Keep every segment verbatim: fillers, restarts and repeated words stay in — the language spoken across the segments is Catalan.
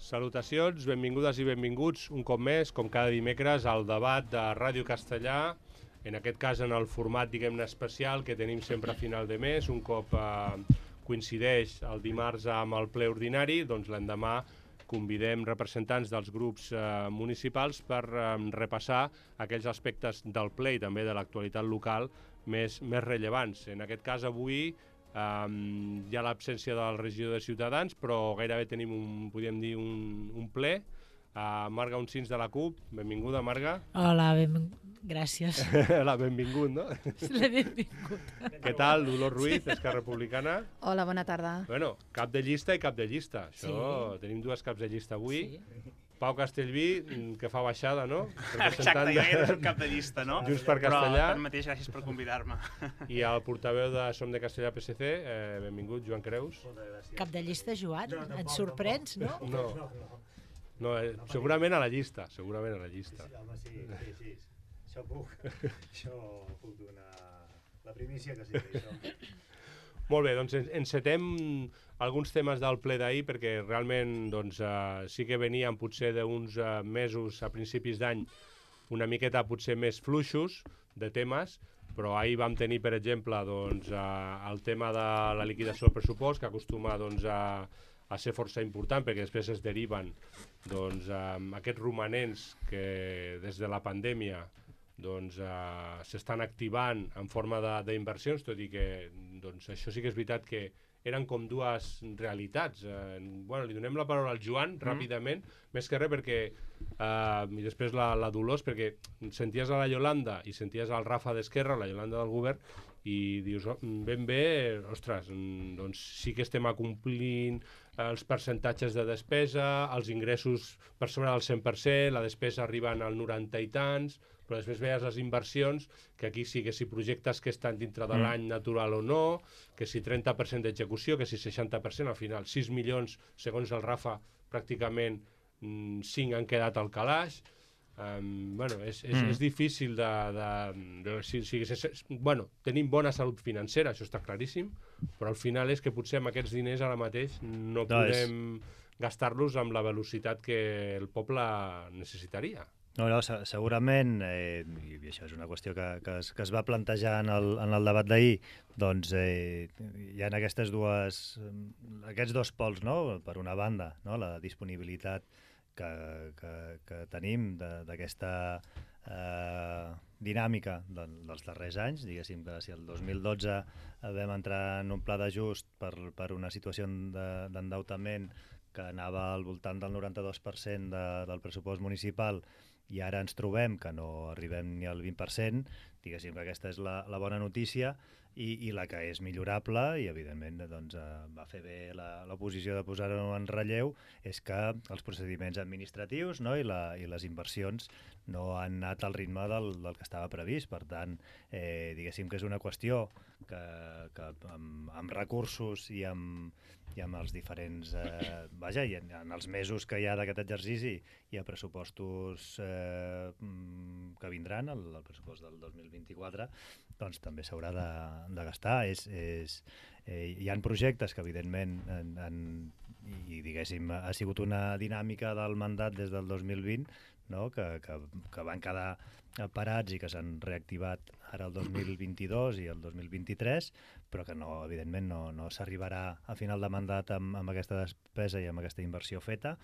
Salutacions, benvingudes i benvinguts un cop més, com cada dimecres, al debat de Ràdio Castellà, en aquest cas en el format, diguem-ne, especial que tenim sempre a final de mes, un cop eh, coincideix el dimarts amb el ple ordinari, doncs l'endemà convidem representants dels grups eh, municipals per eh, repassar aquells aspectes del ple i també de l'actualitat local més, més rellevants. En aquest cas, avui, Um, hi ha l'absència del regidor de Ciutadans, però gairebé tenim, un, podríem dir, un, un ple. Uh, Marga Uncins de la CUP, benvinguda, Marga. Hola, benving... gràcies. La benvingut, no? La benvingut. Què tal, Dolors Ruiz, d'Esquerra Republicana? Hola, bona tarda. Bueno, cap de llista i cap de llista. Això, Sí. tenim dues caps de llista avui. Sí. Pau Castellví, que fa baixada, no? Exacte, jo era un cap de llista, no? Junts per Castellà. Però tanmateix, gràcies per convidar-me. I el portaveu de Som de Castellà P S C, eh, benvingut, Joan Creus. Cap de llista, Joan? Et sorprens, no? No, no eh, segurament a la llista, segurament a la llista. Sí, home, sí, sí, sí. Això puc, això puc donar la primícia que sí, això. Molt bé, doncs encetem alguns temes del ple d'ahir perquè realment doncs, eh, sí que venien potser d'uns eh, mesos a principis d'any una miqueta potser més fluixos de temes, però ahir vam tenir, per exemple, doncs, eh, el tema de la liquidació del pressupost, que acostuma doncs, a, a ser força important perquè després es deriven doncs, eh, aquests romanents que des de la pandèmia doncs, eh, s'estan activant en forma d'inversions, tot i que doncs, això sí que és veritat que eren com dues realitats. Eh, bueno, li donem la paraula al Joan, mm. ràpidament, més que res perquè, eh, i després la, la Dolors, perquè senties a la Yolanda i senties al Rafa d'Esquerra, la Yolanda del govern, i dius, oh, ben bé, ostres, doncs sí que estem acomplint els percentatges de despesa, els ingressos per sobre del cent per cent, la despesa arriben al noranta i tants, però després veies les inversions, que aquí sí que si projectes que estan dintre de l'any natural o no, que si trenta per cent d'execució, que si seixanta per cent, al final sis milions, segons el Rafa, pràcticament cinc han quedat al calaix. Um, bueno, és, és, mm. és difícil de... de, de si, si, si, bueno, tenim bona salut financera, això està claríssim, però al final és que potser amb aquests diners ara mateix no, no podem és... gastar-los amb la velocitat que el poble necessitaria. No, no, segurament, eh, i això és una qüestió que, que, es, que es va plantejar en el, en el debat d'ahir, doncs eh, hi ha aquestes dues, aquests dos pols, no? Per una banda, no? La disponibilitat que, que, que tenim d'aquesta eh, dinàmica de, dels darrers anys, diguéssim que si el dos mil dotze vam entrar en un pla d'ajust per, per una situació d'endeutament que anava al voltant del noranta-dos per cent de, del pressupost municipal, i ara ens trobem que no arribem ni al vint per cent, diguéssim que aquesta és la, la bona notícia, i, i la que és millorable, i evidentment doncs, eh, va fer bé l'oposició de posar-ho en relleu, és que els procediments administratius, no, i, la, i les inversions no han anat al ritme del, del que estava previst. Per tant, eh, diguéssim que és una qüestió que, que amb, amb recursos i amb, i amb els diferents... Eh, vaja, i en, en els mesos que hi ha d'aquest exercici hi ha pressupostos eh, que vindran, el, el pressupost del dos mil vint-i-quatre, doncs també s'haurà de, de gastar. És, és, eh, hi ha projectes que, evidentment, en, en, i diguéssim, ha sigut una dinàmica del mandat des del dos mil vint, no? que, que, que van quedar parats i que s'han reactivat ara el dos mil vint-i-dos i el dos mil vint-i-tres, però que no, evidentment no, no s'arribarà a final de mandat amb, amb aquesta despesa i amb aquesta inversió feta,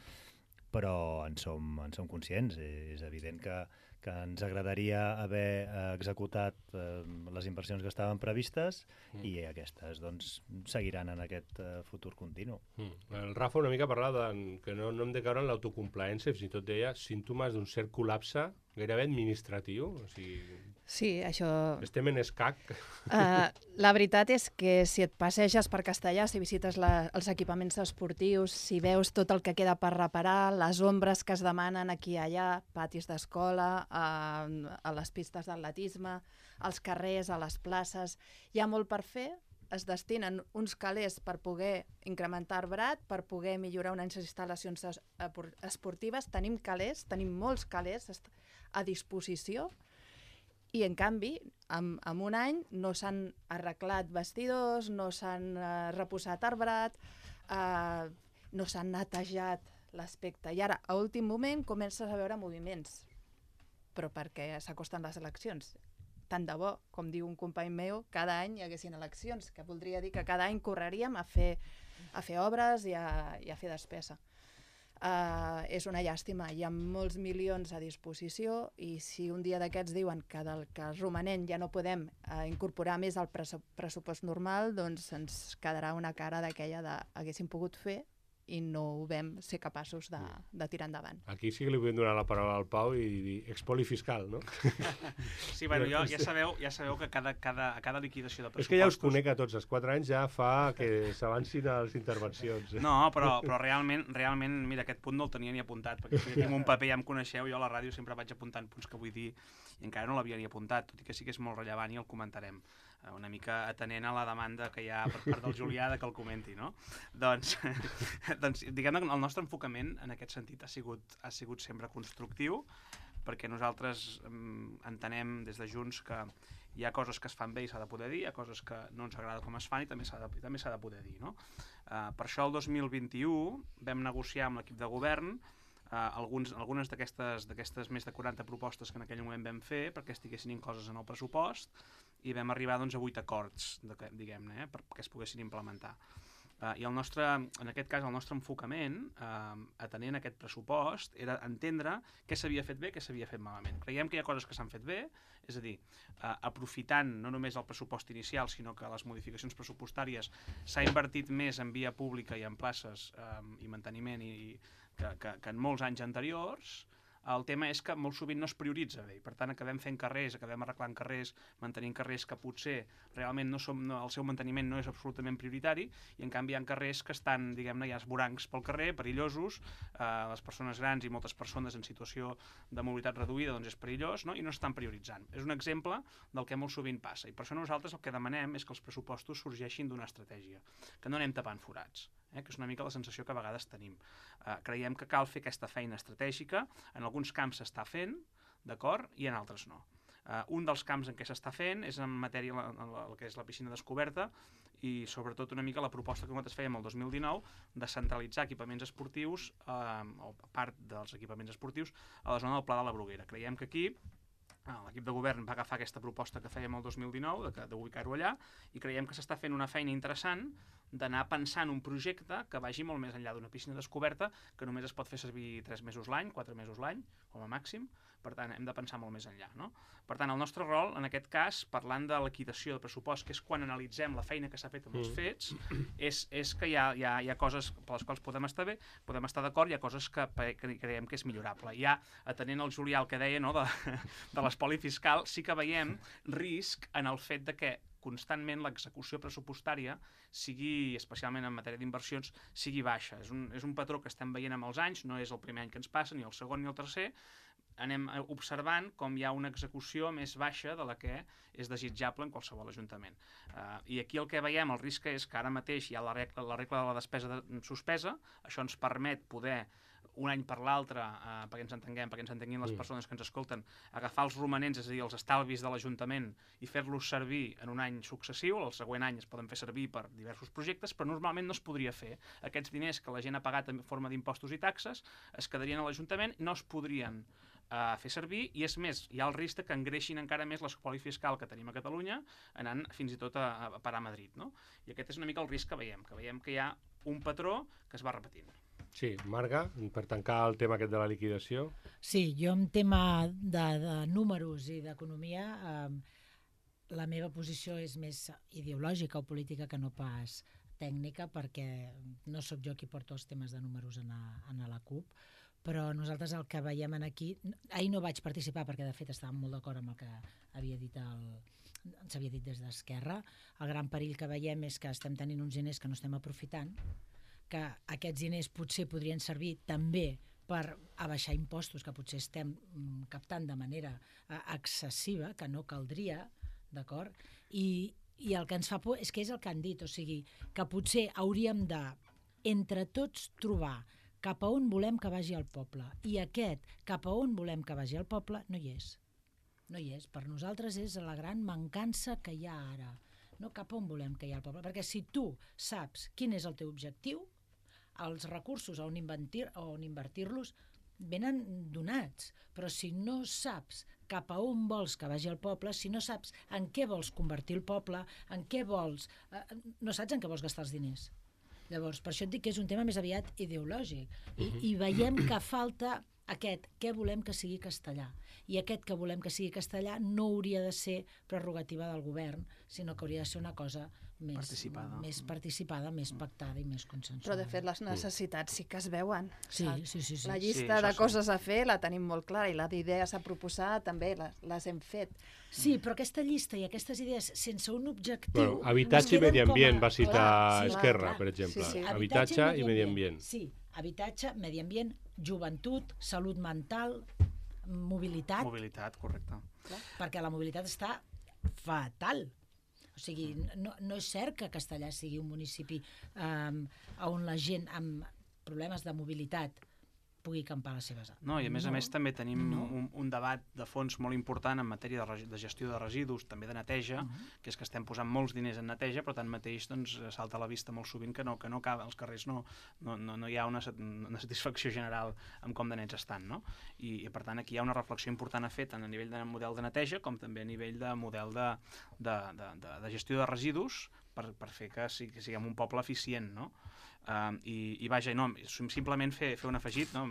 però en som, en som conscients. És evident que, que ens agradaria haver executat eh, les inversions que estaven previstes mm. i aquestes doncs, seguiran en aquest eh, futur continu. Mm. El Rafa una mica parlava de, que no, no hem de caure en l'autocomplaença, fins i tot deia símptomes d'un cert col·lapse gairebé administratiu. O sigui, sí, això... estem en escac. Uh, la veritat és que si et passeges per Castellà, si visites la, els equipaments esportius, si veus tot el que queda per reparar, les ombres que es demanen aquí i allà, patis d'escola, a, a les pistes d'atletisme, als carrers, a les places, hi ha molt per fer. Es destinen uns calés per poder incrementar arbrat, per poder millorar unes instal·lacions esportives. Tenim calés, tenim molts calés a disposició, i en canvi, en, en un any no s'han arreglat vestidors, no s'han uh, reposat arbrat, uh, no s'han netejat l'aspecte. I ara, a últim moment, comences a veure moviments, però perquè s'acosten les eleccions. Tant de bo, com diu un company meu, cada any hi haguessin eleccions, que voldria dir que cada any correríem a fer, a fer obres i a, i a fer despesa. Uh, és una llàstima, hi ha molts milions a disposició i si un dia d'aquests diuen que del que romanent ja no podem uh, incorporar més al pressupost normal, doncs ens quedarà una cara d'aquella de haguéssim pogut fer i no ho vam ser capaços de, de tirar endavant. Aquí sí que li podem donar la paraula al Pau i dir expoli fiscal, no? Sí, bueno, jo, ja, sabeu, ja sabeu que cada, cada, a cada liquidació de pressupostos... És que ja us conec a tots, els quatre anys ja fa que s'avancin a les intervencions. No, però, però realment, realment, mira, aquest punt no el tenia ni apuntat, perquè si tinc un paper ja em coneixeu, jo a la ràdio sempre vaig apuntant punts que vull dir i encara no l'havia ni apuntat, tot i que sí que és molt rellevant i el comentarem. Una mica atenent a la demanda que hi ha per part del Julià de que el comenti, no? Doncs, doncs diguem que el nostre enfocament en aquest sentit ha sigut, ha sigut sempre constructiu, perquè nosaltres um, entenem des de Junts que hi ha coses que es fan bé i s'ha de poder dir, hi ha coses que no ens agrada com es fan i també s'ha de, també s'ha de poder dir, no? Uh, per això el dos mil vint-i-u vam negociar amb l'equip de govern Uh, alguns, algunes d'aquestes d'aquestes més de quaranta propostes que en aquell moment vam fer perquè estiguessin incloses en el pressupost i vam arribar doncs, a vuit acords, diguem-ne, eh, perquè es poguessin implementar. Uh, I el nostre, en aquest cas el nostre enfocament, uh, atenent aquest pressupost, era entendre què s'havia fet bé i què s'havia fet malament. Creiem que hi ha coses que s'han fet bé, és a dir, uh, aprofitant no només el pressupost inicial, sinó que les modificacions pressupostàries s'ha invertit més en via pública i en places uh, i manteniment i Que, que, que en molts anys anteriors. El tema és que molt sovint no es prioritza bé i per tant acabem fent carrers, acabem arreglant carrers, mantenint carrers que potser realment no som, no, el seu manteniment no és absolutament prioritari i en canvi hi ha carrers que estan, diguem-ne, hi ha esborancs pel carrer, perillosos, eh, les persones grans i moltes persones en situació de mobilitat reduïda doncs és perillós, no? I no estan prioritzant. És un exemple del que molt sovint passa i per això nosaltres el que demanem és que els pressupostos sorgeixin d'una estratègia, que no anem tapant forats. Eh, que és una mica la sensació que a vegades tenim. Eh, creiem que cal fer aquesta feina estratègica, en alguns camps s'està fent, d'acord, i en altres no. Eh, un dels camps en què s'està fent és en matèria la, la, la que és la piscina descoberta i sobretot una mica la proposta que nosaltres fèiem el dos mil dinou de centralitzar equipaments esportius, eh, o part dels equipaments esportius, a la zona del Pla de la Bruguera. Creiem que aquí l'equip de govern va agafar aquesta proposta que fèiem el dos mil dinou, d'ubicar-ho allà, i creiem que s'està fent una feina interessant d'anar pensant un projecte que vagi molt més enllà d'una piscina descoberta que només es pot fer servir tres mesos l'any, quatre mesos l'any, com a màxim, per tant hem de pensar molt més enllà, no? Per tant, el nostre rol, en aquest cas, parlant de liquidació de pressupost, que és quan analitzem la feina que s'ha fet amb els fets, és, és que hi ha, hi, ha, hi ha coses per les quals podem estar bé, podem estar d'acord, hi ha coses que, que creiem que és millorable. Ja, atenent al Julià el que deia, no, de, de l'espoli fiscal, sí que veiem risc en el fet de que constantment l'execució pressupostària sigui, especialment en matèria d'inversions, sigui baixa. És un, és un patró que estem veient amb els anys, no és el primer any que ens passa, ni el segon ni el tercer, anem observant com hi ha una execució més baixa de la que és desitjable en qualsevol ajuntament. Uh, I aquí el que veiem, el risc és que ara mateix hi ha la regla, la regla de la despesa de, suspesa, això ens permet poder un any per l'altre, eh, perquè ens entenguem, perquè ens entenguin les persones que ens escolten, agafar els romanents, és a dir, els estalvis de l'Ajuntament i fer-los servir en un any successiu, el següent any es poden fer servir per diversos projectes, però normalment no es podria fer. Aquests diners que la gent ha pagat en forma d'impostos i taxes es quedarien a l'Ajuntament, no es podrien a fer servir, i és més, hi ha el risc que engreixin encara més l'espoli fiscal que tenim a Catalunya, anant fins i tot a, a parar a Madrid, no? I aquest és una mica el risc que veiem, que veiem que hi ha un patró que es va repetint. Sí, Marga, per tancar el tema aquest de la liquidació. Sí, jo en tema de, de números i d'economia, eh, la meva posició és més ideològica o política que no pas tècnica, perquè no sóc jo qui porta els temes de números en a, en a la CUP, però nosaltres el que veiem aquí... Ahir no vaig participar perquè de fet estàvem molt d'acord amb el que havia dit el... s'havia dit des d'Esquerra. El gran perill que veiem és que estem tenint uns diners que no estem aprofitant, que aquests diners potser podrien servir també per abaixar impostos que potser estem captant de manera excessiva, que no caldria, d'acord? I, i el que ens fa por és que és el que han dit, o sigui, que potser hauríem de, entre tots, trobar cap a on volem que vagi el poble. I aquest, cap a on volem que vagi el poble, no hi és. No hi és. Per nosaltres és la gran mancança que hi ha ara. No cap a on volem que hi ha el poble. Perquè si tu saps quin és el teu objectiu, els recursos on invertir-los venen donats, però si no saps cap a on vols que vagi el poble, si no saps en què vols convertir el poble, en què vols... Eh, no saps en què vols gastar els diners. Llavors, per això et dic que és un tema més aviat ideològic. I, i veiem que falta aquest, què volem que sigui castellà. I aquest que volem que sigui castellà no hauria de ser prerrogativa del govern, sinó que hauria de ser una cosa més participada, més, participada, més pactada i més consensuada. Però, de fet, les necessitats sí que es veuen. Sí, sí, sí, sí. La llista sí, de sí. coses a fer la tenim molt clara i la d'idees a proposar també les, les hem fet. Sí, però aquesta llista i aquestes idees sense un objectiu... Bueno, habitatge i medi ambient va citar Clar, sí, Esquerra, clar. per exemple. Sí, sí. Habitatge i medi ambient. Sí, habitatge, medi ambient, joventut, salut mental, mobilitat, Mobilitat, correcte. perquè la mobilitat està fatal. O sigui, no, no és cert que Castellar sigui un municipi um, on la gent amb problemes de mobilitat pugui campar les seves... No, i a més no, a més també tenim no. un, un debat de fons molt important en matèria de, regi- de gestió de residus, també de neteja, Uh -huh. que és que estem posant molts diners en neteja, però tanmateix doncs, salta a la vista molt sovint que no, que no acaba, als carrers no, no, no, no hi ha una, sat- una satisfacció general amb com de nets estan, no? I, I per tant aquí hi ha una reflexió important a fer tant a nivell de model de neteja com també a nivell de model de, de, de, de, de gestió de residus per, per fer que, sí, que siguem un poble eficient, no? Uh, i, i vaja, no, simplement fer, fer un afegit, no?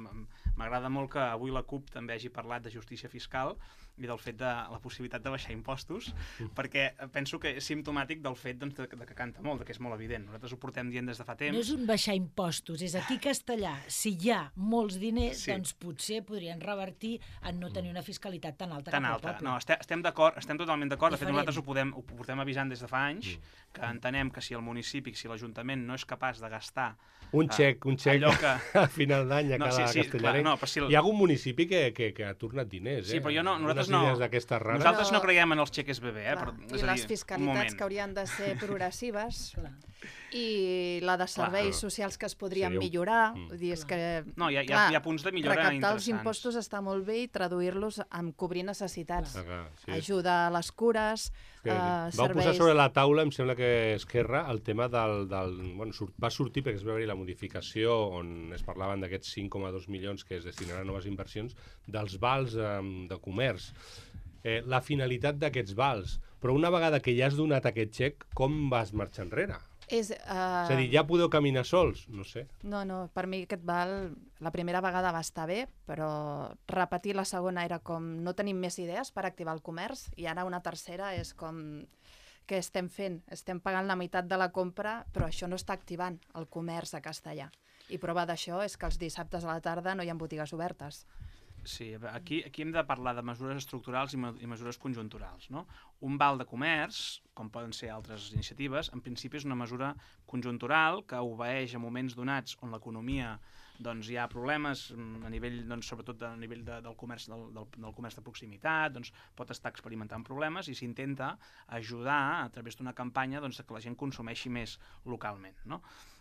M'agrada molt que avui la CUP també hagi parlat de justícia fiscal i del fet de la possibilitat de baixar impostos, perquè penso que és simptomàtic del fet doncs, de, de que canta molt, de que és molt evident. Nosaltres ho portem dient des de fa temps. No és un baixar impostos, és aquí a Castellar, si hi ha molts diners, Sí. doncs potser podrien revertir en no tenir una fiscalitat tan alta tan cap al alta. poble. No, estem, estem d'acord, estem totalment d'acord. De fet, Diferent. nosaltres ho, podem, ho portem avisant des de fa anys, que entenem que si el municipi, si l'Ajuntament no és capaç de gastar Un xec, un xec allò que... a final d'any a No, cada sí, sí, castellarenc. clar, no, però si el- Hi ha algun municipi que, que, que ha tornat diners, eh? Sí, però jo no, nosaltres Unes no. idees d'aquestes rares. Nosaltres no No. creiem en els xeques bebè, eh? Clar, Però, és I a les dir, un fiscalitats moment. que haurien de ser progressives Clar. i la de serveis Clar. socials que es podrien Seria un- millorar. Mm. Vull dir, és Clar. que... No, hi ha, hi ha, clar, hi ha punts de millora recaptar interessants. els impostos està molt bé i traduir-los en cobrir necessitats. Ah, clar, sí. Ajuda a les cures, Que eh, Vau serveis... posar sobre la taula, em sembla que Esquerra, el tema del... del bueno, surt, va sortir perquè es va haver la modificació on es parlaven d'aquests cinc coma dos milions que es destinaran a noves inversions dels vals eh, de comerç. Eh, la finalitat d'aquests vals. Però una vegada que ja has donat aquest xec, com vas marxar enrere? És, uh... És a dir, ja podeu caminar sols? No sé. No, no, per mi aquest val la primera vegada va estar bé, però repetir la segona era com no tenim més idees per activar el comerç i ara una tercera és com què estem fent? Estem pagant la meitat de la compra, però això no està activant el comerç a Castellar. I prova d'això és que els dissabtes a la tarda no hi ha botigues obertes. Sí, aquí, aquí hem de parlar de mesures estructurals i, me, i mesures conjunturals. No? Un val de comerç, com poden ser altres iniciatives, en principi és una mesura conjuntural que obeeix a moments donats on l'economia doncs, hi ha problemes a nivell, doncs, sobretot a nivell de, del, comerç, del, del, del comerç de proximitat, doncs, pot estar experimentant problemes i s'intenta ajudar a través d'una campanya doncs, que la gent consumeixi més localment. No?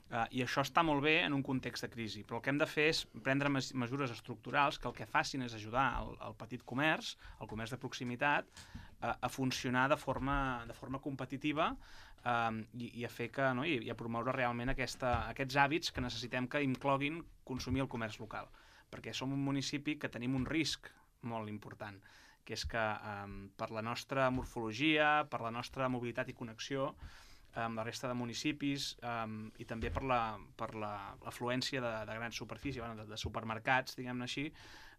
Uh, I això està molt bé en un context de crisi, però el que hem de fer és prendre mes mesures estructurals que el que facin és ajudar el, el petit comerç, el comerç de proximitat, uh, a funcionar de forma, de forma competitiva uh, i, i a fer que, no? I, i a promoure realment aquesta, aquests hàbits que necessitem que incloguin consumir el comerç local. Perquè som un municipi que tenim un risc molt important, que és que um, per la nostra morfologia, per la nostra mobilitat i connexió, amb la resta de municipis um, i també per la, per l'afluència la, de, de grans superfícies, bueno, de, de supermercats, diguem-ne així,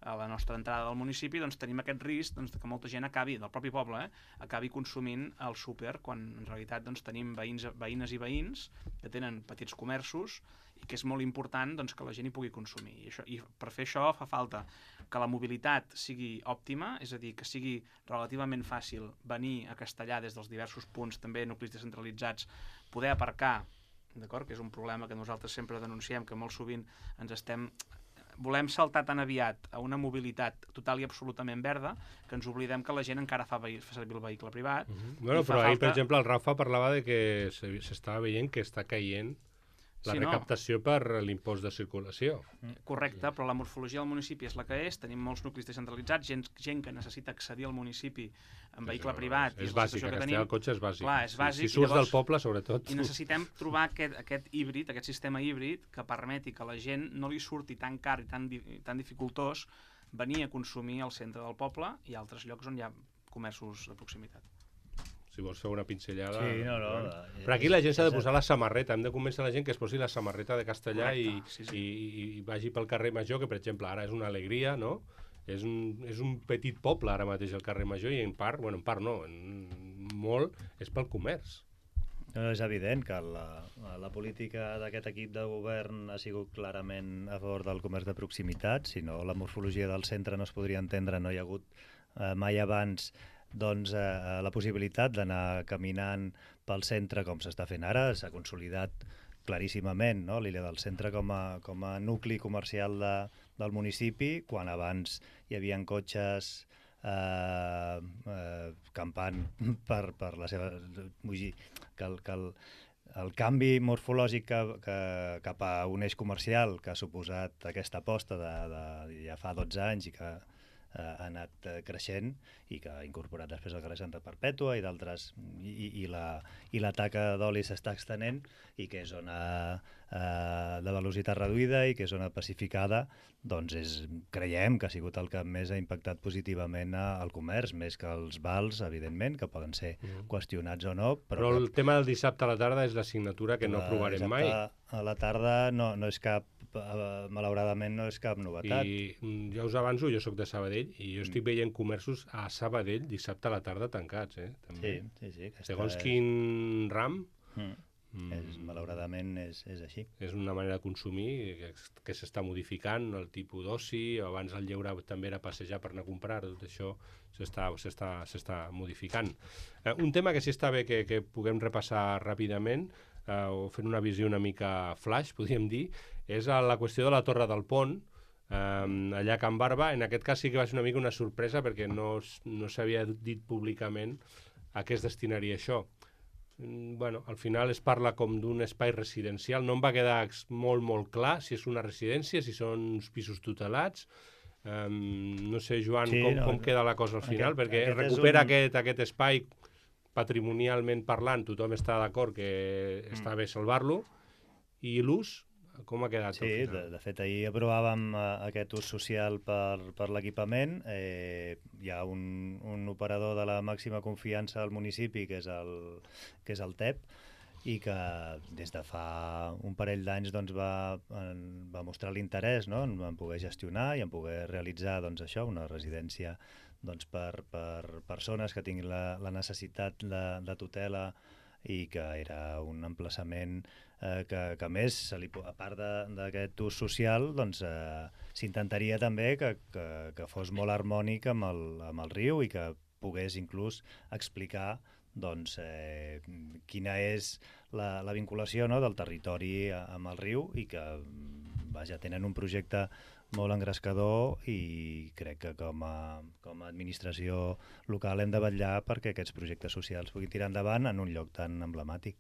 a la nostra entrada del municipi, doncs tenim aquest risc doncs, que molta gent acabi, del propi poble, eh, acabi consumint al súper, quan en realitat doncs, tenim veïns, veïnes i veïns que tenen petits comerços i que és molt important doncs, que la gent hi pugui consumir. I, això, I per fer això fa falta que la mobilitat sigui òptima, és a dir, que sigui relativament fàcil venir a Castellar des dels diversos punts, també nuclis descentralitzats, poder aparcar, d'acord, que és un problema que nosaltres sempre denunciem, que molt sovint ens estem... Volem saltar tan aviat a una mobilitat total i absolutament verda que ens oblidem que la gent encara fa, fa servir el vehicle privat. Uh -huh. Bueno, però ahir, falta... per exemple, el Rafa parlava de que s'estava veient que està caient la Sí, no. recaptació per l'impost de circulació. Correcte, però la morfologia del municipi és la que és, tenim molts nuclis descentralitzats, gent, gent que necessita accedir al municipi en vehicle privat, i És és la bàsic, situació a que Castellar tenim. el cotxe és bàsic. Clar, és bàsic, Si, i si surts llavors- del poble, sobretot. I necessitem trobar aquest, aquest híbrid, aquest sistema híbrid que permeti que la gent no li surti tan car i tan, di- tan dificultós venir a consumir al centre del poble i a altres llocs on hi ha comerços de proximitat. Si vols fer una pinzellada... Sí, no, no. Bueno. eh, Però aquí la gent s'ha de és- posar la samarreta, hem de convèncer la gent que es posi la samarreta de castellà i, Correcte, sí, sí. i, i vagi pel carrer Major, que per exemple ara és una alegria, no? És un, és un petit poble ara mateix el carrer Major i en part, bueno, en part no, en molt és pel comerç. No, és evident que la, la política d'aquest equip de govern ha sigut clarament a favor del comerç de proximitat, si no la morfologia del centre no es podria entendre, no hi ha hagut eh, mai abans doncs, eh, la possibilitat d'anar caminant pel centre com s'està fent ara, s'ha consolidat claríssimament, no? l'illa del centre com a, com a nucli comercial de, del municipi, quan abans hi havia cotxes eh, eh, campant per, per la seva... Vull dir, que el, que el, el canvi morfològic que, que, cap a un eix comercial que ha suposat aquesta aposta de, de ja fa dotze anys i que eh, ha anat eh, creixent i que ha incorporat després el carrer Santa Perpètua i d'altres, i, i, la, i la taca d'oli s'està extenent i que és zona eh, de velocitat reduïda i que és zona pacificada, doncs és, creiem que ha sigut el que més ha impactat positivament al comerç, més que els vals, evidentment, que poden ser Mm. qüestionats o no. Però, però el tema del dissabte a la tarda és l'assignatura que no aprovarem mai. A la tarda no, no és cap, eh, malauradament no és cap novetat. I mm, ja us avanço, jo sóc de Sabadell i jo estic veient comerços a Sabadell dissabte a la tarda tancats, eh? També. Sí, sí, sí. aquesta Segons és- quin ram, Mm. mm, És, malauradament és, és així. és una manera de consumir que, que s'està modificant, el tipus d'oci, abans el lleure també era passejar per anar a comprar, tot això s'està s'està s'està modificant. Eh, un tema que sí està bé que, que puguem repassar ràpidament, eh, o fent una visió una mica flash, podríem dir, és a la qüestió de la Torre del Pont, eh, allà a Can Barba. En aquest cas sí que va ser una mica una sorpresa perquè no, s- no s'havia dit públicament a què es destinaria això. Mm, Bueno, al final es parla com d'un espai residencial. No em va quedar ex- molt, molt clar si és una residència, si són uns pisos tutelats. Um, no sé, Joan, Sí, com, no, com queda la cosa al final, aquest- perquè aquest és recupera un- aquest, aquest espai patrimonialment parlant, tothom està d'acord que Mm. està bé salvar-lo, i l'ús, com ha quedat Sí, al de, final? de fet, ahir aprovàvem eh, aquest ús social per, per l'equipament. Eh, hi ha un, un operador de la màxima confiança al municipi, que és el, que és el T E P, i que des de fa un parell d'anys doncs, va, en, va mostrar l'interès, no?, en, en poder gestionar i en poder realitzar doncs, això, una residència doncs, per, per persones que tinguin la, la necessitat de, de tutela, i que era un emplaçament eh, que, que a més, se li, po- a part de- d'aquest ús social, doncs eh, s'intentaria també que, que, que fos molt harmònic amb el, amb el riu i que pogués inclús explicar doncs, eh, quina és la, la vinculació, no?, del territori a- amb el riu, i que vaja, tenen un projecte molt engrescador i crec que com a, com a administració local hem de vetllar perquè aquests projectes socials puguin tirar endavant en un lloc tan emblemàtic.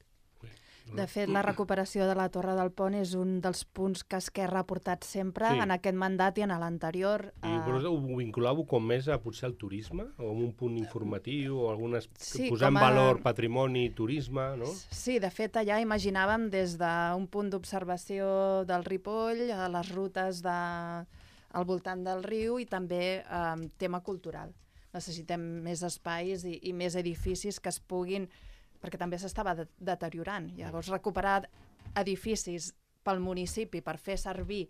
De fet, la recuperació de la Torre del Pont és un dels punts que Esquerra ha portat sempre Sí. en aquest mandat i en l'anterior. I vosaltres ho vinculàveu com més a potser al turisme, o amb un punt informatiu, o algunes... Sí, posar en com a- valor patrimoni, turisme, no? Sí, de fet, allà imaginàvem des d'un punt d'observació del Ripoll, a les rutes de, al voltant del riu, i també eh, tema cultural. Necessitem més espais i, i més edificis que es puguin, perquè també s'estava de deteriorant. Llavors, recuperar edificis pel municipi per fer servir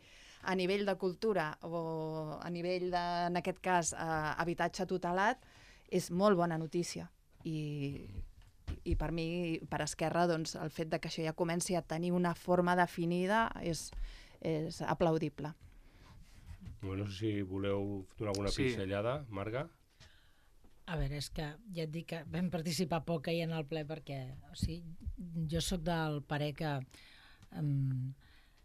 a nivell de cultura o a nivell, de, en aquest cas, eh, habitatge tutelat, és molt bona notícia. I, i per mi, per Esquerra, doncs, el fet de que això ja comenci a tenir una forma definida és, és aplaudible. Bueno, no sé si voleu donar alguna Sí. pinzellada, Marga. A veure, és que ja et dic que vam participar poc ahir en el ple perquè, o sigui, jo sóc del parer que um,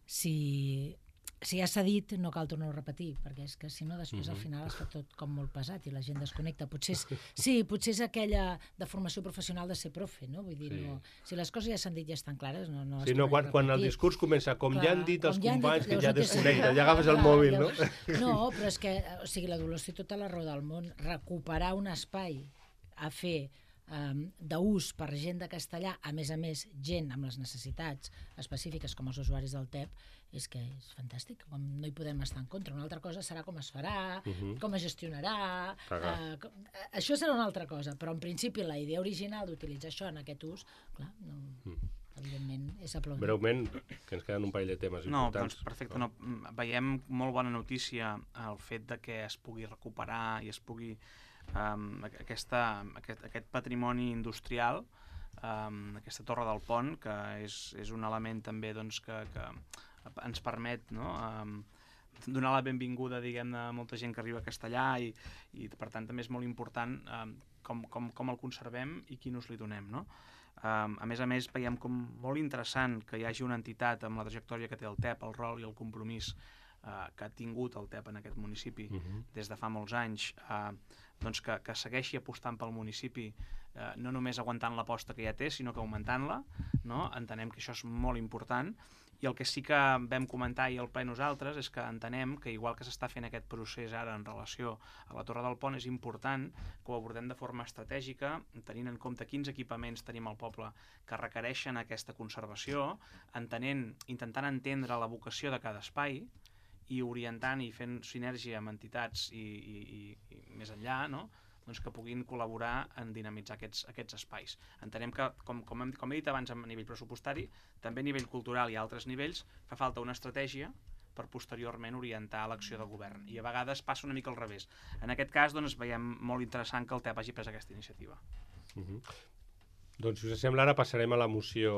si si ja s'ha dit, no cal tornar-ho a repetir, perquè és que si no després Mhm. al final es fa tot com molt pesat i la gent desconnecta. Potser és, sí, potser és aquella de formació professional de ser profe, no? Vull dir, Sí. no, si les coses ja s'han dit i ja estan clares, no, no Sí, es no, tornen quan, a quan el repetir. discurs comença, com Clar, ja han dit els com ja han dit, companys, que llavors ja no té desconnecta, sentit. ja agafes el Clar, mòbil, no? llavors- No, però és que, o sigui, la Dolors té tota la raó del món. Recuperar un espai a fer um, d'ús per gent de castellà, a més a més, gent amb les necessitats específiques com els usuaris del T E P, és que és fantàstic, com no hi podem estar en contra. Una altra cosa serà com es farà, Mhm. com es gestionarà, Cagar. uh, com, uh, això serà una altra cosa, però en principi la idea original d'utilitzar això en aquest ús, clar, no, Mm. evidentment és aplaudir. Breument, que ens queden un parell de temes No, importants. doncs perfecte. No. Veiem molt bona notícia el fet de que es pugui recuperar i es pugui um, aquesta, aquest, aquest patrimoni industrial, um, aquesta torre del pont, que és, és un element també doncs, que, que ens permet, no, um, donar la benvinguda, diguem-ne, a molta gent que arriba a Castellà i, i per tant també és molt important um, com, com, com el conservem i quin ús li donem, no? Um, a més a més, veiem com molt interessant que hi hagi una entitat amb la trajectòria que té el T E P, el rol i el compromís uh, que ha tingut el T E P en aquest municipi Mhm. des de fa molts anys, uh, doncs que, que segueixi apostant pel municipi, uh, no només aguantant l'aposta que ja té, sinó que augmentant-la, no? Entenem que això és molt important. I el que sí que vam comentar i al ple nosaltres és que entenem que igual que s'està fent aquest procés ara en relació a la Torre del Pont, és important que ho abordem de forma estratègica, tenint en compte quins equipaments tenim al poble que requereixen aquesta conservació, entenent, intentant entendre la vocació de cada espai i orientant i fent sinergia amb entitats i, i, i, i més enllà, no? Doncs que puguin col·laborar en dinamitzar aquests, aquests espais. Entenem que, com, com, hem, com he dit abans a nivell pressupostari, també a nivell cultural i a altres nivells, fa falta una estratègia per posteriorment orientar l'acció del govern. I a vegades passa una mica al revés. En aquest cas, doncs, veiem molt interessant que el T E P hagi pres aquesta iniciativa. Mhm. Doncs, si us sembla, ara passarem a la moció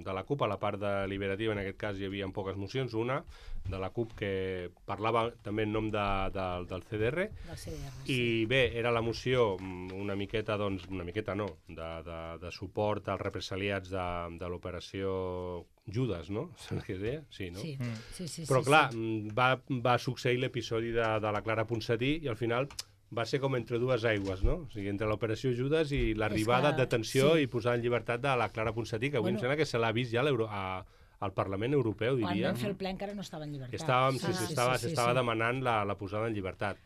de la CUP, a la part deliberativa. En aquest cas hi havia poques mocions. Una, de la CUP, que parlava també en nom de, de, del C D R. Del C D R, I bé, era la moció una miqueta, doncs, una miqueta no, de, de, de suport als represaliats de, de l'operació Judas, no? Saps què es deia? Sí, no? Sí, Mm. sí, sí. Però sí, clar, sí. mm, va, va succeir l'episodi de, de la Clara Ponsatí i al final va ser com entre dues aigües, no? O sigui, entre l'operació Judas i l'arribada, que- detenció sí. i posar en llibertat de la Clara Ponsatí, que avui Bueno. em sembla que se l'ha vist ja a l'Euro- a, al Parlament Europeu, Quan diria. vam fer el ple encara no estava en llibertat. Que estàvem, sí, Ah, sí, estava, sí, s'estava sí. demanant la, la posada en llibertat.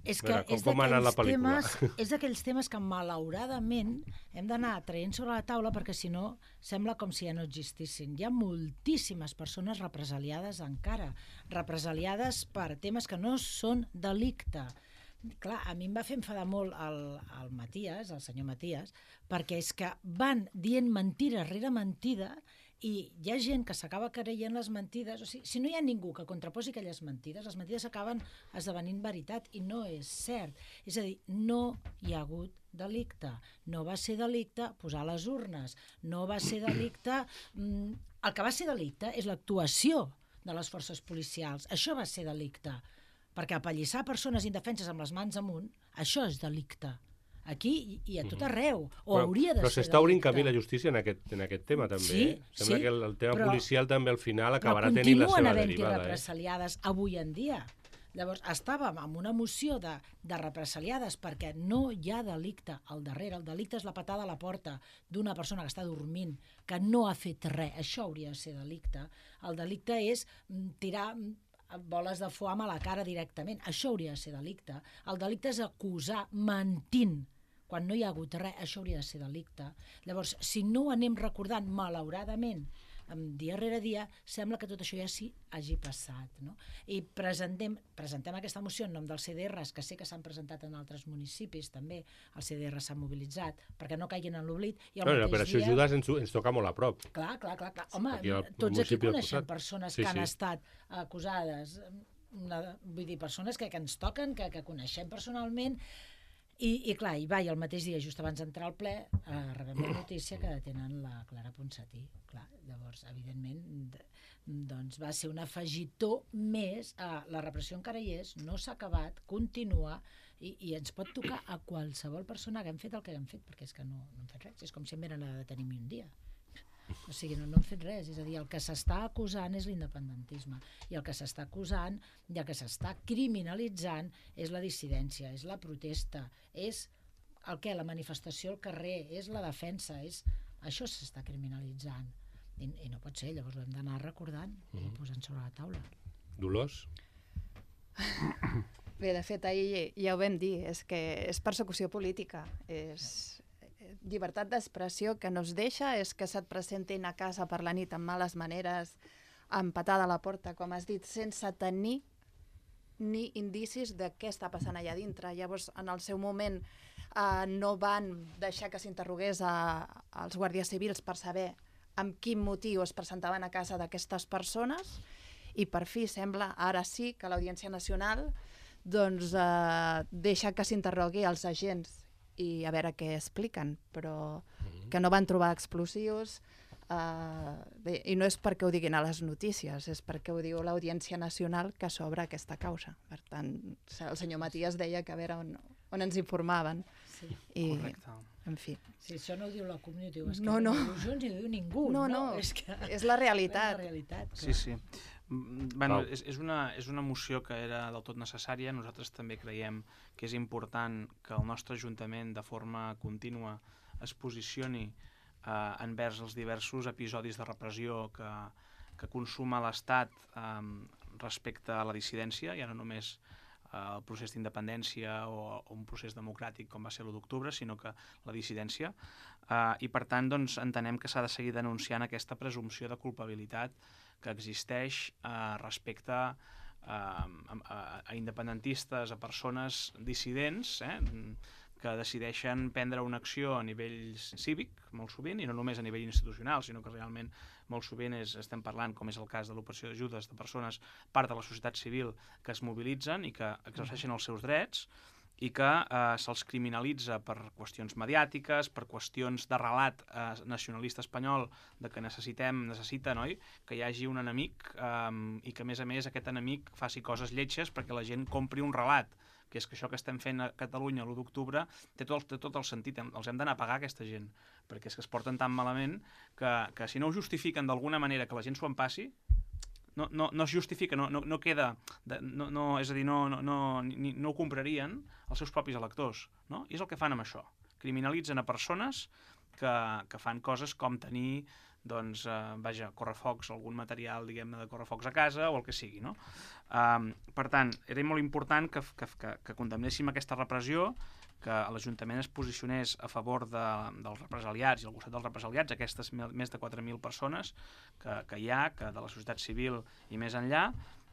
És A que veure, com- és com ha anat la d'aquells pel·lícula? temes, és d'aquells temes que malauradament hem d'anar traient sobre la taula perquè si no sembla com si ja no existissin. Hi ha moltíssimes persones represaliades encara, represaliades per temes que no són delicte. Clar, a mi em va fer enfadar molt el, el Matías, el senyor Matías, perquè és que van dient mentida rere mentida i hi ha gent que s'acaba creient les mentides. O sigui, si no hi ha ningú que contraposi aquelles mentides, les mentides acaben esdevenint veritat i no és cert. És a dir, no hi ha hagut delicte. No va ser delicte posar les urnes. No va ser delicte... Mm, el que va ser delicte és l'actuació de les forces policials. Això va ser delicte. Perquè apallissar persones indefenses amb les mans amunt, això és delicte. Aquí i a tot arreu. O Però, hauria de però ser s'està obrint delicte. camí la justícia en aquest, en aquest tema, també. Sí, eh? Sembla sí, que el, el tema però- policial també al final acabarà però tenint la continuen seva havent-hi derivada. Eh? represaliades avui en dia. Llavors, estàvem amb una moció de, de represaliades perquè no hi ha delicte al darrere. El delicte és la patada a la porta d'una persona que està dormint, que no ha fet res. Això hauria de ser delicte. El delicte és mm, tirar mm, boles de foam a la cara directament. Això hauria de ser delicte. El delicte és acusar mentint quan no hi ha hagut res. Això hauria de ser delicte. Llavors, si no ho anem recordant, malauradament, dia rere dia, sembla que tot això ja sí hagi passat. No? I presentem, presentem aquesta moció en nom dels C D Rs, que sé que s'han presentat en altres municipis també, els C D Rs s'han mobilitzat, perquè no caiguin en l'oblit. I al No, mateix l'operació dia... Judas ens, ens toca molt a prop. Clar, clar, clar. clar. Home, Aquí al tots aquí municipi del coneixem costat. persones Sí, que han sí. estat acusades, una, vull dir, persones que, que ens toquen, que, que coneixem personalment, i, i clar, i va, i el mateix dia, just abans d'entrar al ple, eh, rebem la notícia que detenen la Clara Ponsatí. Clar, llavors, evidentment, d- doncs va ser un afegitó més a la repressió encara hi és, no s'ha acabat, continua, i, i ens pot tocar a qualsevol persona que hem fet el que hem fet, perquè és que no, no hem fet res, és com si em venen a detenir un dia. O sigui, no, no hem fet res. És a dir, el que s'està acusant és l'independentisme. I el que s'està acusant i el que s'està criminalitzant és la dissidència, és la protesta, és el què? La manifestació al carrer, és la defensa, és... això s'està criminalitzant. I, I no pot ser, llavors ho hem d'anar recordant mm-hmm. i posant sobre la taula. Dolors? Bé, de fet, ahir ja ho vam dir, és que és persecució política, és llibertat d'expressió que no es deixa, és que se't presentin a casa per la nit amb males maneres, amb patada a la porta, com has dit, sense tenir ni indicis de què està passant allà dintre. Llavors, en el seu moment, eh, no van deixar que s'interrogués als guàrdies civils per saber amb quin motiu es presentaven a casa d'aquestes persones, i per fi sembla, ara sí, que l'Audiència Nacional doncs, eh, deixa que s'interrogui els agents i a veure què expliquen, però que no van trobar explosius, eh, bé, i no és perquè ho diguin a les notícies, és perquè ho diu l'Audiència Nacional que s'obre aquesta causa. Per tant, el senyor Matías deia que a veure on, on ens informaven. Sí. I, Correcte. en fi. Sí, això no ho diu la comunitat, no, No, no. no ho diu Junts ni ho diu ningú. No, no, no, és, que... és la realitat. És la realitat, Sí, clar. sí. Mm, Bueno, és, és, una, és una moció que era del tot necessària. Nosaltres també creiem que és important que el nostre Ajuntament de forma contínua es posicioni eh, envers els diversos episodis de repressió que, que consuma l'Estat eh, respecte a la dissidència, ja no només eh, el procés d'independència o, o un procés democràtic com va ser l'u d'octubre, sinó que la dissidència. Eh, I per tant doncs, entenem que s'ha de seguir denunciant aquesta presumpció de culpabilitat que existeix eh, respecte a, a, a independentistes, a persones dissidents, eh, que decideixen prendre una acció a nivell cívic, molt sovint, i no només a nivell institucional, sinó que realment molt sovint és, estem parlant, com és el cas de l'operació d'ajudes, de persones, part de la societat civil, que es mobilitzen i que exerceixen els seus drets, i que eh, se'ls criminalitza per qüestions mediàtiques, per qüestions de relat eh, nacionalista espanyol, de que necessitem, necessita, no? Que hi hagi un enemic eh, i que, a més a més, aquest enemic faci coses lletges perquè la gent compri un relat, que és que això que estem fent a Catalunya l'u d'octubre té tot, té tot el sentit, els hem d'anar a pagar aquesta gent, perquè és que es porten tan malament que, que si no ho justifiquen d'alguna manera que la gent s'ho empassi, no, no, no es justifica, no, no, no queda, de, no, no, és a dir, no, no, no, ni, no ho comprarien els seus propis electors, no? I és el que fan amb això. Criminalitzen a persones que, que fan coses com tenir, doncs, eh, vaja, correfocs, algun material, diguem-ne, de correfocs a casa o el que sigui, no? Um, per tant, era molt important que, que, que, que condemnéssim aquesta repressió, que l'Ajuntament es posicionés a favor de, dels represaliats i al costat dels represaliats, aquestes més de quatre mil persones que, que hi ha, que de la societat civil i més enllà,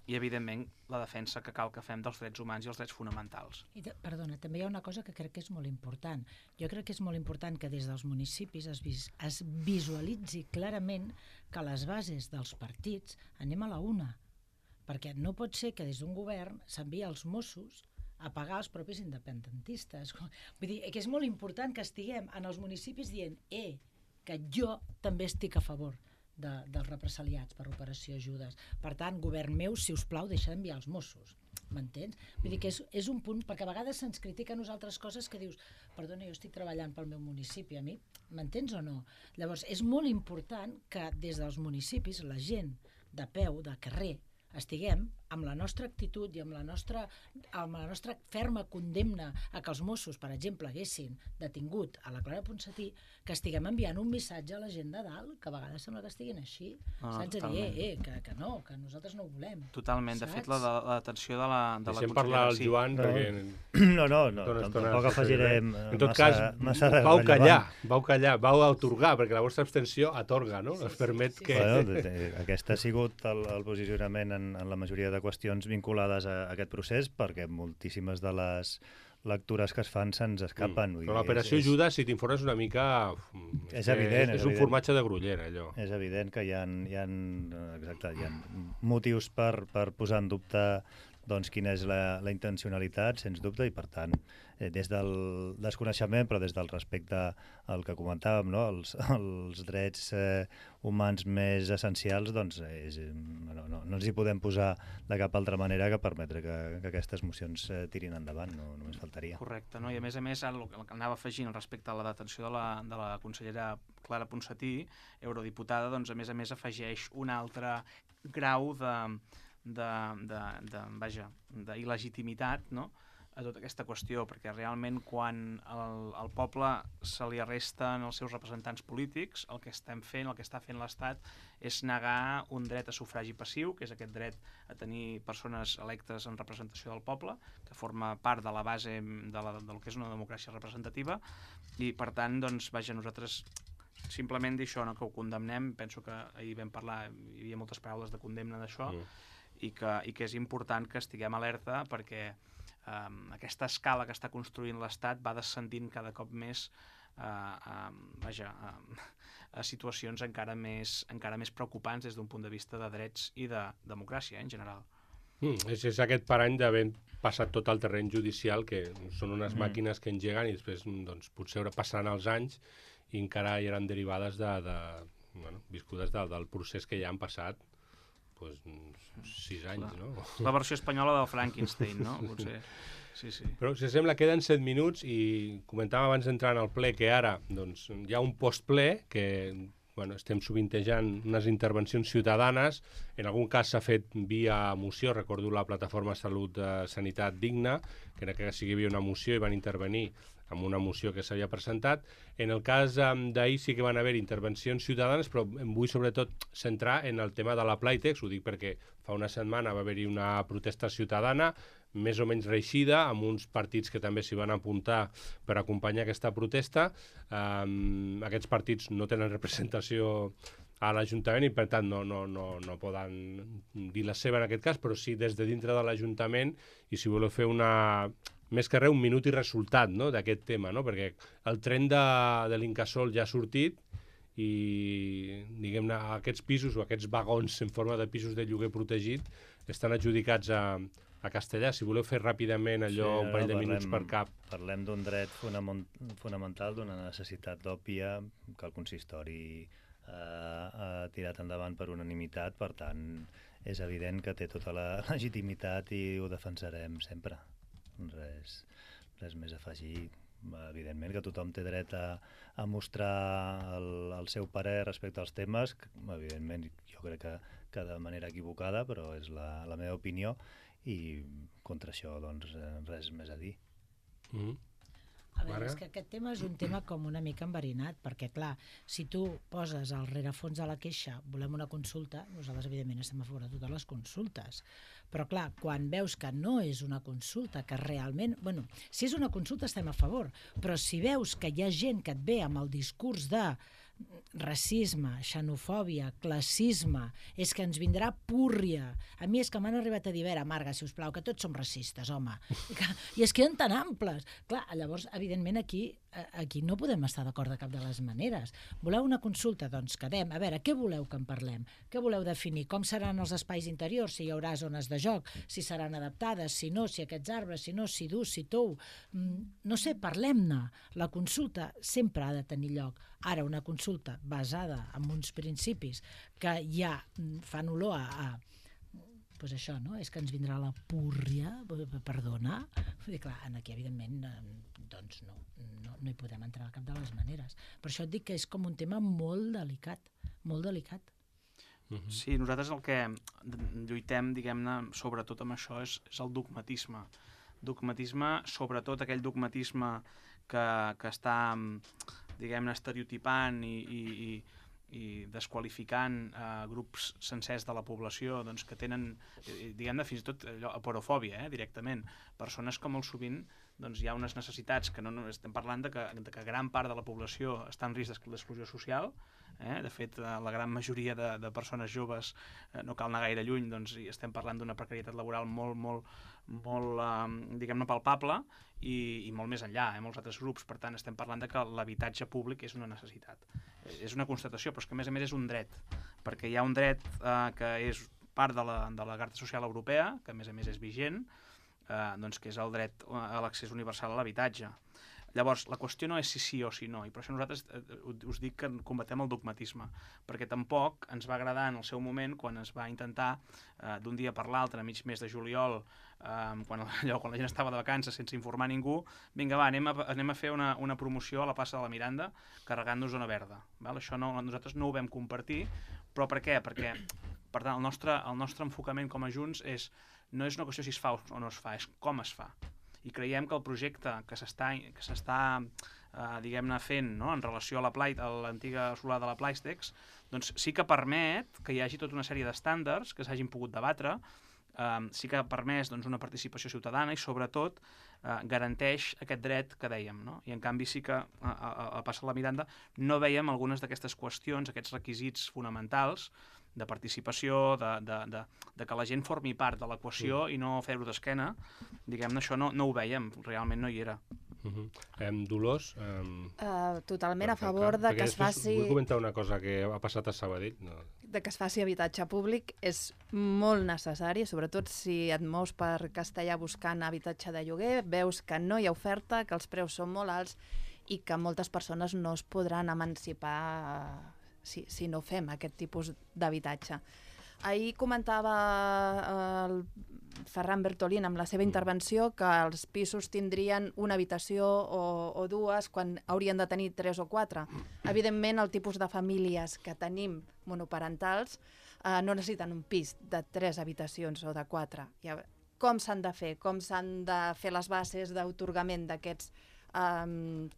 i, evidentment, la defensa que cal que fem dels drets humans i els drets fonamentals. I de, perdona, també hi ha una cosa que crec que és molt important. Jo crec que és molt important que des dels municipis es, vis, es visualitzi clarament que les bases dels partits anem a la una, perquè no pot ser que des d'un govern s'envia als Mossos a pagar els propis independentistes. Vull dir, que és molt important que estiguem en els municipis dient eh, que jo també estic a favor de, dels represaliats per operació ajudes. Per tant, govern meu, si us plau, deixa d'enviar els Mossos. M'entens? Vull dir que és, és un punt, perquè a vegades se'ns critica a nosaltres coses que dius, perdona, jo estic treballant pel meu municipi, a mi, m'entens o no? Llavors, és molt important que des dels municipis la gent de peu, de carrer, estiguem amb la nostra actitud i amb la nostra, amb la nostra ferma condemna a que els Mossos, per exemple, haguessin detingut a la Clara Ponsatí, que estiguem enviant un missatge a la gent de dalt, que a vegades sembla que estiguin així, Ah, saps? A dir, eh, eh, que, que no, que nosaltres no ho volem. Totalment. De Saps? fet, la, la detenció de la, de la Deixem parlar al sí. Joan, No. perquè... No, no, no Tota una estona tampoc se afegirem seguirem. En tot massa, cas, massa vau rellevant. callar, vau callar, vau atorgar, perquè la vostra abstenció atorga, no? Sí, Es sí, permet sí, que... Bueno, de- de- aquest ha sigut el, el posicionament en, en la majoria de qüestions vinculades a, a aquest procés, perquè moltíssimes de les lectures que es fan se'ns escapen. Mm. Però l'operació és, és, Judes, si t'informes una mica... uf, És que evident, És, és és un evident. formatge de grollera, allò. és evident que hi ha, hi ha, exacte, hi ha motius per, per posar en dubte doncs, quina és la, la intencionalitat, sens dubte, i per tant, eh, des del desconeixement, però des del respecte al que comentàvem, no? els, els drets eh, humans més essencials, doncs, és, no, no, no ens hi podem posar de cap altra manera que permetre que, que aquestes mocions eh, tirin endavant, no, només faltaria. Correcte, no? I a més a més, el, el que anava afegint respecte a la detenció de la, de la consellera Clara Ponsatí, eurodiputada, doncs a més a més afegeix un altre grau de, de, de, de, vaja, d'il·legitimitat, no?, a tota aquesta qüestió, perquè realment quan el, el poble se li arresten els seus representants polítics, el que estem fent, el que està fent l'Estat és negar un dret a sufragi passiu, que és aquest dret a tenir persones electes en representació del poble, que forma part de la base de la, del que és una democràcia representativa, i per tant, doncs, vaja, nosaltres simplement dir això, no, que ho condemnem, penso que ahir vam parlar, hi havia moltes paraules de condemna d'això, mm. i, que, i que és important que estiguem alerta perquè Um, aquesta escala que està construint l'Estat va descendint cada cop més uh, um, vaja, um, a situacions encara més, encara més preocupants des d'un punt de vista de drets i de democràcia, eh, en general. Mm, és, és aquest parany d'haver passat tot el terreny judicial, que són unes mm. màquines que engeguen i després doncs, potser passaran els anys i encara hi eren derivades de, de, bueno, viscudes de, del procés que ja han passat pues, sis anys, la, no? La versió espanyola del Frankenstein, no? Potser. Sí, sí. Però, si sembla, queden set minuts i comentàvem abans d'entrar en el ple que ara doncs, hi ha un postple que bueno, estem sovintejant unes intervencions ciutadanes. En algun cas s'ha fet via moció, recordo la plataforma Salut de Sanitat Digna, que era que sigui havia una moció i van intervenir amb una moció que s'havia presentat. En el cas um, d'ahir sí que van haver intervencions ciutadanes, però em vull sobretot centrar en el tema de la Playtex, ho dic perquè fa una setmana va haver-hi una protesta ciutadana, més o menys reeixida, amb uns partits que també s'hi van apuntar per acompanyar aquesta protesta. Um, aquests partits no tenen representació a l'Ajuntament i per tant no, no, no, no poden dir la seva en aquest cas, però sí des de dintre de l'Ajuntament, i si voleu fer una... més que res un minut i resultat, no?, d'aquest tema, no? Perquè el tren de, de l'Incasòl ja ha sortit i, diguem-ne, aquests pisos o aquests vagons en forma de pisos de lloguer protegit estan adjudicats a, a Castellà. Si voleu fer ràpidament allò, sí, un parell de minuts per cap. Parlem d'un dret fonamental, d'una necessitat òbvia que el consistori eh, ha tirat endavant per unanimitat, per tant, és evident que té tota la legitimitat i ho defensarem sempre. Res, res més a afegir. Evidentment que tothom té dret a, a mostrar el, el seu parer respecte als temes, que, evidentment jo crec que, que de manera equivocada, però és la, la meva opinió, i contra això doncs res més a dir. Mm-hmm. A veure, és que aquest tema és un tema com una mica enverinat, perquè, clar, si tu poses al rerefons de la queixa, volem una consulta, nosaltres, evidentment, estem a favor de totes les consultes. Però, clar, quan veus que no és una consulta, que realment... Bueno, si és una consulta estem a favor, però si veus que hi ha gent que et ve amb el discurs de racisme, xenofòbia, classisme, és que ens vindrà púrria. A mi és que m'han arribat a dir, a veure, Marga, si us plau, que tots som racistes, home. I es queden tan amples. Clar, llavors, evidentment, aquí, aquí no podem estar d'acord de cap de les maneres. Voleu una consulta? Doncs quedem. A veure, què voleu que en parlem? Què voleu definir? Com seran els espais interiors? Si hi haurà zones de joc? Si seran adaptades? Si no? Si aquests arbres? Si no? Si dur? Si tou? No sé, parlem-ne. La consulta sempre ha de tenir lloc. Ara, una consulta basada en uns principis que ja fan olor a... a pues això, no? És que ens vindrà la púrria, perdona. Vull dir, clar, aquí, evidentment, doncs no, no, no hi podem entrar de cap de les maneres. Per això et dic que és com un tema molt delicat, molt delicat. Sí, nosaltres el que lluitem, diguem-ne, sobretot amb això, és, és el dogmatisme. Dogmatisme, sobretot aquell dogmatisme que, que està, diguem-ne, estereotipant i, i, i, i desqualificant eh, grups sencers de la població, doncs, que tenen, diguem-ne, fins i tot allò, aporofòbia, eh, directament. Persones que molt sovint doncs, hi ha unes necessitats que no, no estem parlant de que, de que gran part de la població està en risc d'exclusió social. Eh? De fet, la gran majoria de, de persones joves, eh, no cal anar gaire lluny, doncs estem parlant d'una precarietat laboral molt, molt, molt eh, diguem-ne, palpable i, i molt més enllà, eh, molts altres grups. Per tant, estem parlant de que l'habitatge públic és una necessitat. És una constatació, però és que a més a més és un dret, perquè hi ha un dret eh, que és part de la, de la Carta Social Europea, que a més a més és vigent, eh, doncs que és el dret a l'accés universal a l'habitatge. Llavors, la qüestió no és si sí o si no, i per això nosaltres eh, us dic que combatem el dogmatisme, perquè tampoc ens va agradar en el seu moment quan es va intentar eh, d'un dia per l'altre, a mig mes de juliol, eh, quan, allò, quan la gent estava de vacances sense informar ningú, vinga va, anem a, anem a fer una, una promoció a la plaça de la Miranda carregant-nos zona verda. Val? Això no, nosaltres no ho vam compartir, però per què? Perquè per tant, el nostre, el nostre enfocament com a Junts és, no és una qüestió si es fa o no es fa, és com es fa. I creiem que el projecte que s'està que s'està eh, diguem-ne fent, no?, en relació a la Plai, a l'antiga solar de la Plaistex, doncs sí que permet que hi hagi tota una sèrie d'estàndards que s'hagin pogut debatre, eh, sí que ha permès doncs, una participació ciutadana i sobretot eh, garanteix aquest dret que dèiem, no? I en canvi sí que a, a, a passar la Miranda no veiem algunes d'aquestes qüestions, aquests requisits fonamentals de participació, de, de, de, de que la gent formi part de l'equació i no fer-ho d'esquena, diguem-ne, això no, no ho veiem, realment no hi era. Uh -huh. um, Dolors? Um, uh, totalment a favor de que es faci... Vull comentar una cosa que ha passat a Sabadell. No. De que es faci habitatge públic és molt necessari, sobretot si et mous per Castellà buscant habitatge de lloguer, veus que no hi ha oferta, que els preus són molt alts i que moltes persones no es podran emancipar si, si no fem aquest tipus d'habitatge. Ahir comentava el Ferran Bertolín amb la seva intervenció que els pisos tindrien una habitació o, o dues quan haurien de tenir tres o quatre. Evidentment, el tipus de famílies que tenim monoparentals eh, no necessiten un pis de tres habitacions o de quatre. Ja, com s'han de fer? Com s'han de fer les bases d'autorgament d'aquests eh,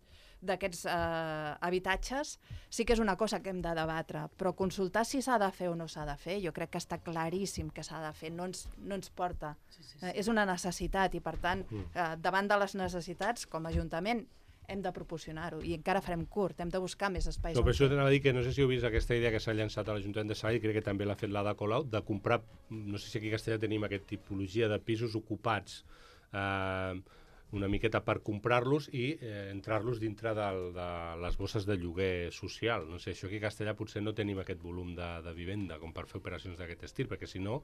d'aquests eh, habitatges, sí que és una cosa que hem de debatre, però consultar si s'ha de fer o no s'ha de fer, jo crec que està claríssim que s'ha de fer, no ens, no ens porta. Sí, sí, sí. Eh, és una necessitat i, per tant, eh, davant de les necessitats, com a Ajuntament, hem de proporcionar-ho i encara farem curt, hem de buscar més espais. No, per això t'anava a dir que no sé si heu vist aquesta idea que s'ha llançat a l'Ajuntament de Sabadell, crec que també l'ha fet l'Ada Colau, de comprar, no sé si aquí a Castellà tenim aquesta tipologia de pisos ocupats, eh, una miqueta per comprar-los i eh, entrar-los dintre del, de les bosses de lloguer social. No sé, això aquí a Castellà potser no tenim aquest volum de, de vivenda com per fer operacions d'aquest estil, perquè si no,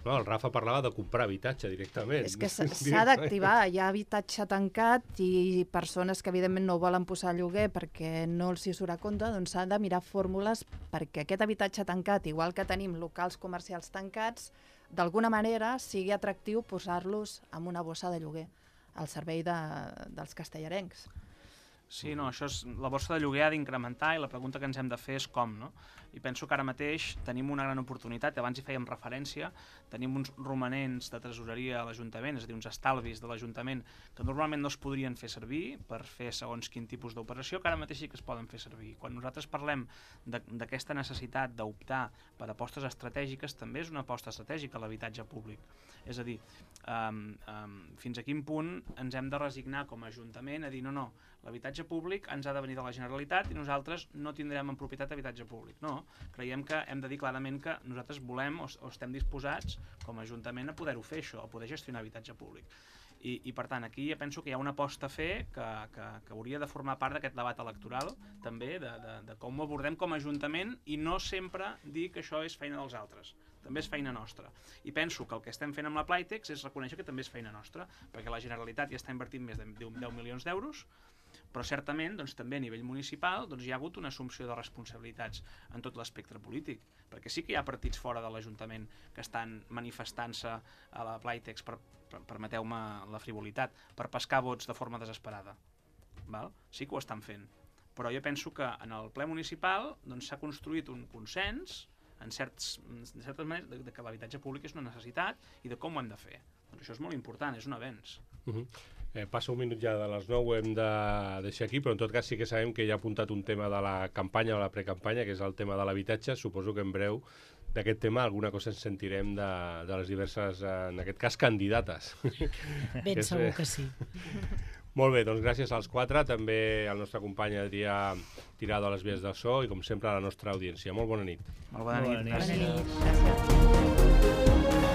no, el Rafa parlava de comprar habitatge directament. És que s'ha d'activar, hi ha habitatge tancat i persones que evidentment no volen posar lloguer perquè no els hi surt a compte, doncs s'ha de mirar fórmules perquè aquest habitatge tancat, igual que tenim locals comercials tancats, d'alguna manera sigui atractiu posar-los en una bossa de lloguer al servei de, dels castellarencs. Sí, no, això és, la borsa de lloguer ha d'incrementar i la pregunta que ens hem de fer és com, no? I penso que ara mateix tenim una gran oportunitat, abans hi fèiem referència, tenim uns romanents de tresoreria a l'Ajuntament, és a dir, uns estalvis de l'Ajuntament que normalment no es podrien fer servir per fer segons quin tipus d'operació, que ara mateix sí que es poden fer servir. Quan nosaltres parlem d'aquesta necessitat d'optar per apostes estratègiques, també és una aposta estratègica l'habitatge públic. És a dir, um, um, fins a quin punt ens hem de resignar com a Ajuntament a dir no, no, l'habitatge públic ens ha de venir de la Generalitat i nosaltres no tindrem en propietat habitatge públic. No, creiem que hem de dir clarament que nosaltres volem o, o estem disposats com a Ajuntament a poder-ho fer això, a poder gestionar habitatge públic. I, i per tant, aquí ja penso que hi ha una aposta a fer que, que, que hauria de formar part d'aquest debat electoral, també, de, de, de com ho abordem com a Ajuntament i no sempre dir que això és feina dels altres. També és feina nostra. I penso que el que estem fent amb la Playtex és reconèixer que també és feina nostra, perquè la Generalitat ja està invertint més de deu milions d'euros, però certament doncs, també a nivell municipal doncs, hi ha hagut una assumpció de responsabilitats en tot l'espectre polític, perquè sí que hi ha partits fora de l'Ajuntament que estan manifestant-se a la Playtex, per, per, permeteu-me la frivolitat, per pescar vots de forma desesperada. Val? Sí que ho estan fent, però jo penso que en el ple municipal doncs, s'ha construït un consens en, certs, en certes maneres de, de que l'habitatge públic és una necessitat i de com ho hem de fer. Doncs això és molt important, és un avenç. Uh -huh. eh, passa un minut ja de les nou, ho hem de deixar aquí, però en tot cas sí que sabem que ja ha apuntat un tema de la campanya o la precampanya, que és el tema de l'habitatge. Suposo que en breu d'aquest tema alguna cosa ens sentirem de, de les diverses, en aquest cas, candidates. Ben és, segur que sí. Molt bé, doncs gràcies als quatre, també al nostre company Adrià Tirado a les vies del so i com sempre a la nostra audiència. Molt bona nit. Molt bona nit. Bona nit. Gràcies.